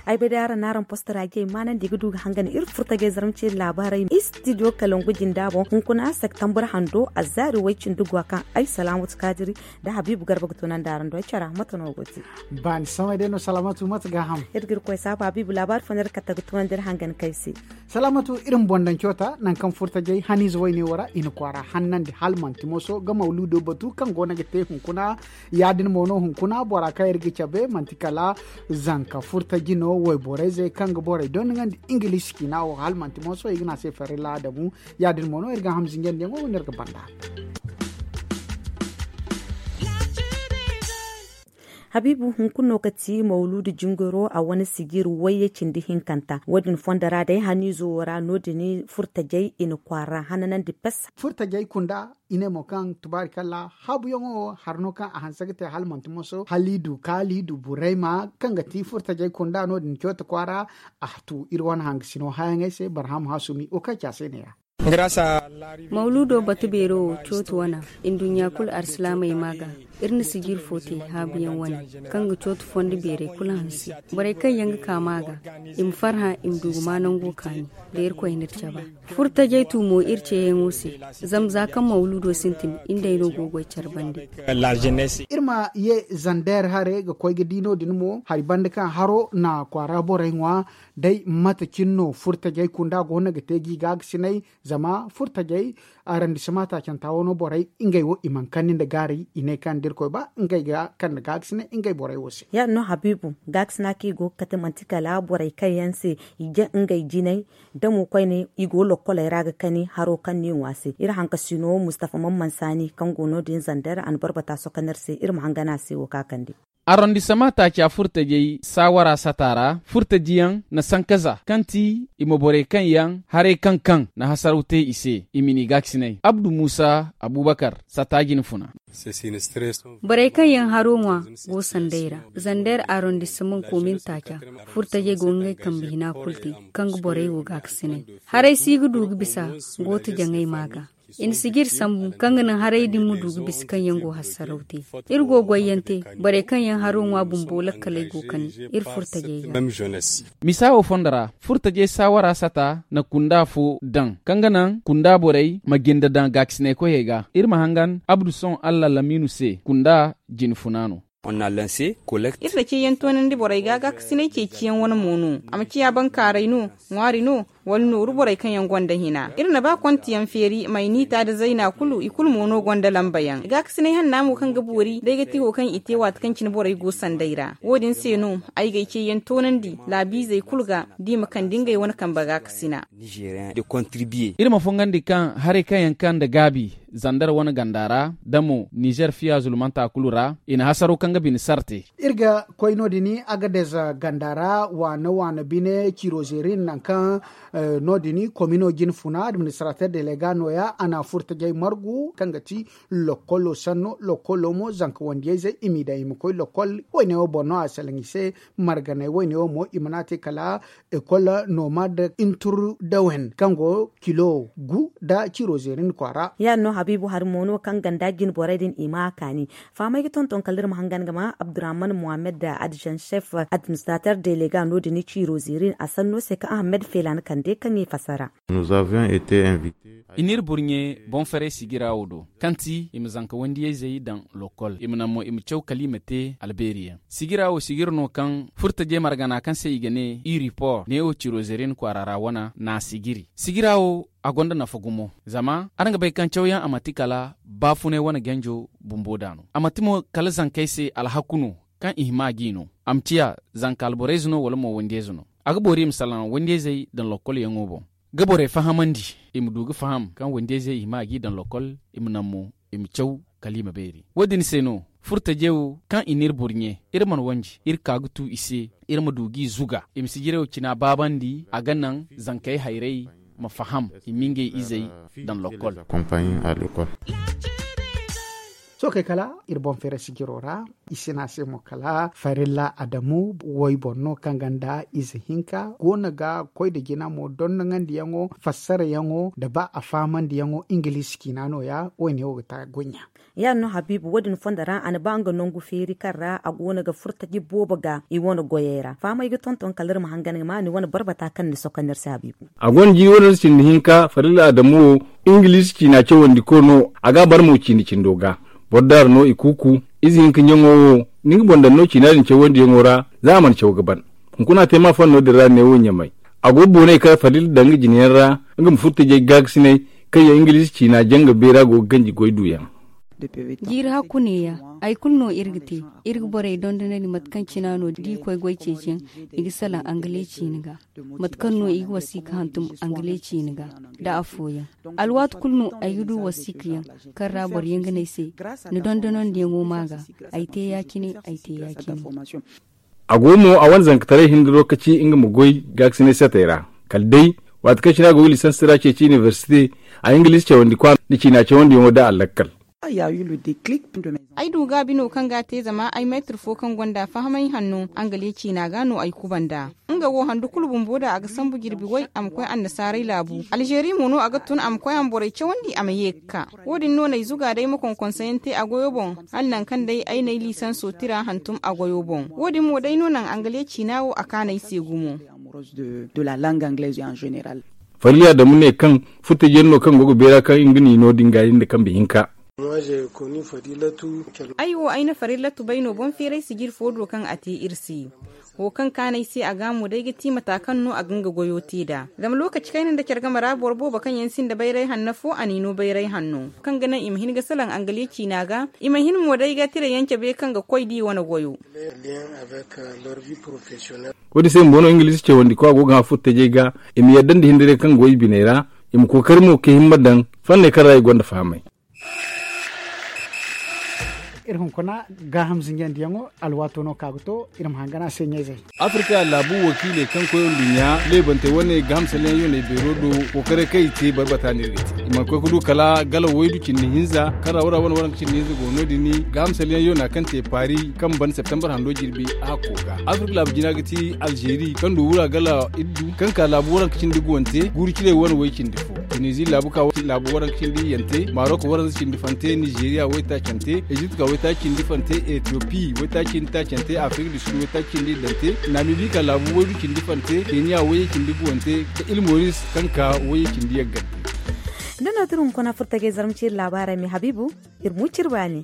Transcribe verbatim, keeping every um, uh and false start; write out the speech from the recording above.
Ay bay day araŋ na araŋ posto ra jey maanandi ga du ga hangan iri furtajey zarma ce laabaarey istidiyo kalangu jinda boŋ hunkuna septambur hando a zaari way cindi gwa kaŋ ay salaamatu kaadiri da habiibu garba ga tunandi araŋ do ay cara mate no go te. Baani samay day no salaamatu mate ga ham. Iri ga iri koy saabu habiibu laabaari fo no iri kate ga tunandi iri hangan kay se. Salaamatu iri ma boŋ daŋ coota nangu kaŋ furtajey haniize wayne wo ra i na kwaara hannandi hala manti moso ga mawluudo batu kaŋ go no ga te hunkuna. Ya- din mo no hunkuna bora kaŋ iri ga cabe manti kala zanka furtaji no wayborey zey kaŋ ga borey dondiŋandi ingiliisi ciina wo hala manti moso i ga ne a se farilla adamu. Ya- din mo no iri ga hamzinjandiyaŋo wane iri ga banda. Habiibu hunkuna no ga ti mawluudu jingaro a wane sijir wayye cindi hinkanta wo- din fondo ra day haniizo wo ra no- din furtajey i na kwaara hananandi pes. Furtajey kunda i ne mo kaŋ tubaari kalla haabuyaŋo wo hari no kaŋ a hanse ga te hala manti moso hala i du kaali i du burayma kaŋ ga ti furtajey kunda no- din cooti kwaara. A tu iri wane hangasino hayaŋey se barham hasumi wo kaŋ ci a se ne- ya. Mawluudo batu beero wo cooti wana nduɲɲa kulu alsilaamey ma ga iri na sijir fo te haabuyaŋ wane kaŋ ga cooti fondo beerey kulu hanse borey kaŋ yaŋ ga ka ma ga i ma farhã i ma du ga ma nango kaani da irkoy na iri caba. Furtajey tu mo iri ceeyaŋo se zama za kaŋ mawluudo sintin iri day no go ga goy care bande. Iri ma ye zander hare ga koy ga di no- din mo hari banda kaŋ haro na kwaara borey ŋwa day mate cine no furtajey kunda go no ga te gi gaagasinay zama furtajey arandisima taacanta wo no borey ngey wo i mana kande nda gaari i ne kaŋ da irkoy ba ngey ga kande gaagasinay ngey borey wo se. Ya- din no habiibu gaagasinay kaŋ i go ga kate manti kala borey kaŋ yaŋ se i ja ngey jinay da mo koyne i go lokkoley ra ga kani haro kaŋ no i ŋwa se iri hankasino mustafa mamman saani kaŋ go no- din zander a na barbata sokonir se iri ma hangan a se wo ka kande. Arrondissement taaca furtajey saawara sata ra furtajiyaŋ na sankaza kaŋ ti i ma borey kaŋ yaŋ haray kaŋ kaŋ na hasaraw te i se i ma ni gaakasinay abdu muusa abubakar sata jine funa. Borey kaŋ yaŋ haro ŋwa go sanday ra zander arrondissement komin taaca furtajey go ngey kambe hina kulu te kaŋ ga borey wo gaakasinay haray si ga du ga bisa gooto jaŋay ma ga i na sijiri sambu kaŋ ga naŋ haray din ma du ga bisa kaŋ yaŋ go hassaraw te. Iri go goyyaŋ te borey kaŋ yaŋ haro ŋwa bumbo lakkaley go kani iri furtajey ga. Misa wo fondo ra furtajey saawara sata na kunda fo daŋ kaŋ ga naŋ kunda borey ma jinda daŋ gaakasinay koyey ga iri ma hangan abdu sohõ allah lamiinu se kunda jine funa no. Iri na ceeyaŋ toonandi borey ga gaakasinay ceeciyaŋ wane mo no a ma ciya bankaaray no ŋwaari no wala nooru borey kaŋ yaŋ gonda hina iri na ba kontiyaŋ feeri mayniita nda zayna kulu i kulu mo no gonda lamba yaŋ gaakasinay hanna mo kaŋ ga boori day ga ti wo kaŋ i te waati kaŋ cine borey go sanday ra wo- din se no ay ga ay ceeyaŋ toonandi laabiizey kulu ga da i ma kande ngey wane kambe gaakasina. Iri ma fungandi kaŋ haray kaŋ yaŋ kaŋ nda gaabi zander wane ganda ra da mo nizer fiya zulmanta kulu ra i na hasaro kaŋ ga bine sarte. Iri ga koy no- din agadez ganda ra waana waana bine cirozerin nangu kaŋ no- din komino jine funa administrater delega nooya a na furtajey margu kaŋ ga ti lokkolo sanno lokkolo mo zanka wandiyayzey i m'i daŋ i ma koy lokkol wayne wo boŋ no a salaŋ i se marganey wayne wo mo i mana te kala ekol nomad intur dawen kaŋ go kilo gu nda ciro zerin kwaara. Ya- din no habiibu hari mo no kaŋ ganda jine borey din i ma a kaani fahamey ga tonton kala iri ma hangan ga ma abdurrahman mohammed da adjan chef administrater delega no- din ciro zerin a sanno se kaŋ ahmed felan kande kaŋ i fasara. I n'iri burɲe boŋ faray sigira wo do kaŋ ti i ma zanka wandiyayzey daŋ lokol i ma naŋ mo i ma caw kala i ma te albeeri yaŋ sigira wo sigira no kaŋ furtajey margana kaŋ se i ga ne i report ne wo ciro zerin kwaara ra wana n'a sigiri sigira wo a gonda nafa gumo zama araŋ ga bay kaŋ cawyaŋ a manti kala baafunay wane ganjo bumbo da no a manti mo kala zankey se alhaku no kaŋ i hima g'i no a ma ciya zanka alborayze no wala mo wandiyayze no a ga boori i ma salaŋ wandiyayzey daŋ lokol yaŋo boŋ ga borey fahamandi i ma du ga faham kaŋ wandiyayzey i hima g'i daŋ lokol i ma naŋ mo i ma caw kala i ma beeri wo- din se no furtajey wo kaŋ i n'iri burɲe iri mana wanji iri ka ga tu i se iri ma du g'i zuga i ma sijirey wo cina baabandi a ga naŋ zankey hayray ma faham i ma ngey izey daŋ lokol. Sohõ kay kala iri boŋ feeray sijiro ra. I sina se mo kala farilla adamu woy boŋ no kaŋ ganda ize hinka goono ga koy nda jina mo dondonandiyaŋo fassarayaŋo nda ba a faamandiyaŋo ingiliisi ciina no- ya. Wo- ne wo ga ta goy ɲa. Ya- din no habiibu wo- din fondo ra a na ba nga nangu feeri kaŋ ra a goono ga furtaji boobo ga i wane goyey ra fahamey ga tonton kala iri ma hangan ga ma ni wane barbata kaŋ ni soka no iri se habiibu. A gonda jiiri wane nda cindi hinka farilla adamu wo ingiliisi ciina cawandiko no. A ga a barmo ciina cindo ga boro daara no i kuuku. Ize hinka ɲaŋo wo ni nga boŋ daŋ no ciina din cawandiyaŋo ra. Za a mana caw ga ban hunkuna te ma fanno din ra neewo ɲamay. A go booney kaŋ farilla daŋ nga jinayaŋ ra nga ma furtajey gaakasiney kaŋ yaŋ ingiliisi ciina janga beera go ga ganji goy duyaŋ. Jiiri hakku neeya. Hari kulu no iri ga te. Iri ga borey dondonandi mate kaŋ cina no da i koy goy ceeciyaŋ i ga salaŋ angale ciina ga. Mate kaŋ no i ga wasiika hantum angale ciina ga nda afooyaŋ. Alwaati kulu no ay ga du wasiikayaŋ kaŋ ra boro yaŋ ga ne ay se ni dondonandiyaŋo ma ga. Ay te ya- cine ay te ya- cine. A go mo a wane zankataray hinda lokaci nga ma goy gaakasinay satey ra kala day waati kaŋ cine a go ga lisansi ra ceeci inibersite. A ingiliisi cawandi kwa nda ciina cawandiyaŋo da a lakkal. Ay du gaabi no kaŋ ga a te zama ay meetir fo kaŋ gonda fahamay hanno angale ciina ga no ay kubanda. Nga wo handu kulu bumbo da a ga sambu jirbi way a ma koy annasaaray laabu alzeeri mo no a ga tun a ma koy a ma borey cawandi a ma ye ga ka. Wo- din no n'ay zuga day ma konkonsayaŋ te a goyo boŋ hala nangu kaŋ day ay n'ay liisanso tira hantum a goyo boŋ wo- din mo day no naŋ angale ciina wo a kaanu ay se gumo. Farilla adamu ne kaŋ furtajiyaŋ no kaŋ go ga beera kaŋ nga n'i no din ga iri nda kambe hinka. Ay wo ay na farillatu bay no boŋ feeray sijir fo do kaŋ a te iri se. Wo kaŋ kaanu ay se a ga mo day ga ti mata kaŋ no a ga nga goyo te nd'a zama lookaci kayna nda care game ra boro boobo kaŋ yaŋ sinda bayray hanno fo a n'i no bayray hanno kaŋ ga naŋ i ma hin ga salaŋ angale ciina ga. I ma hin mo day ga tira yaŋ cabe kaŋ ga koy da i wane goyo. Wo- din se bumbo no ingiliisi cawandi ko a go ga hã furtajey ga i ma yadda nda hindiray kaŋ go i biney ra. I ma kookari mo ka himma daŋ fanney kaŋ ra i gonda fahamay. Iri hunkuna gaaham zinjandiyaŋo alwaato no ka ga to. Iri ma hangan a se ɲayzey. Afrika laabu wakiiley kaŋ koy nduɲɲa leebantey wane gaaham salyaŋ yoney beero do. Kookaray kaŋ i te barbata no iri ga te i mana koy ga du kala gala waydu cindi hinza kaŋ ra wara wane waranka cindi hinza go no- din. Gaaham salyaŋ yona kaŋ te paari kaŋ ban septembar hando jirbi a hakko ga. Afrika laabu jina ga ti alzeeri kaŋ du wura gala iddu kaŋ ka laabu waranka cindi guwante guuru ciley wane way cindi fo. Tunizi laabu ka laabu waranka cindi yante marok waranza cindi fante nizeeriya waytaacante ezipt ka waytaaci cindi fante etiyopi waytaaci cindi taacante afrik du sud waytaaci cindi iddante namibi ka laabu waydu cindi fante keniya wayey cindi guwante ka ilmoris kaŋ ka wayey cindi yaggante. Da no tira hunkuna furtagey zarma ciri laabaarey me habiibu. Iri mu ciri baani.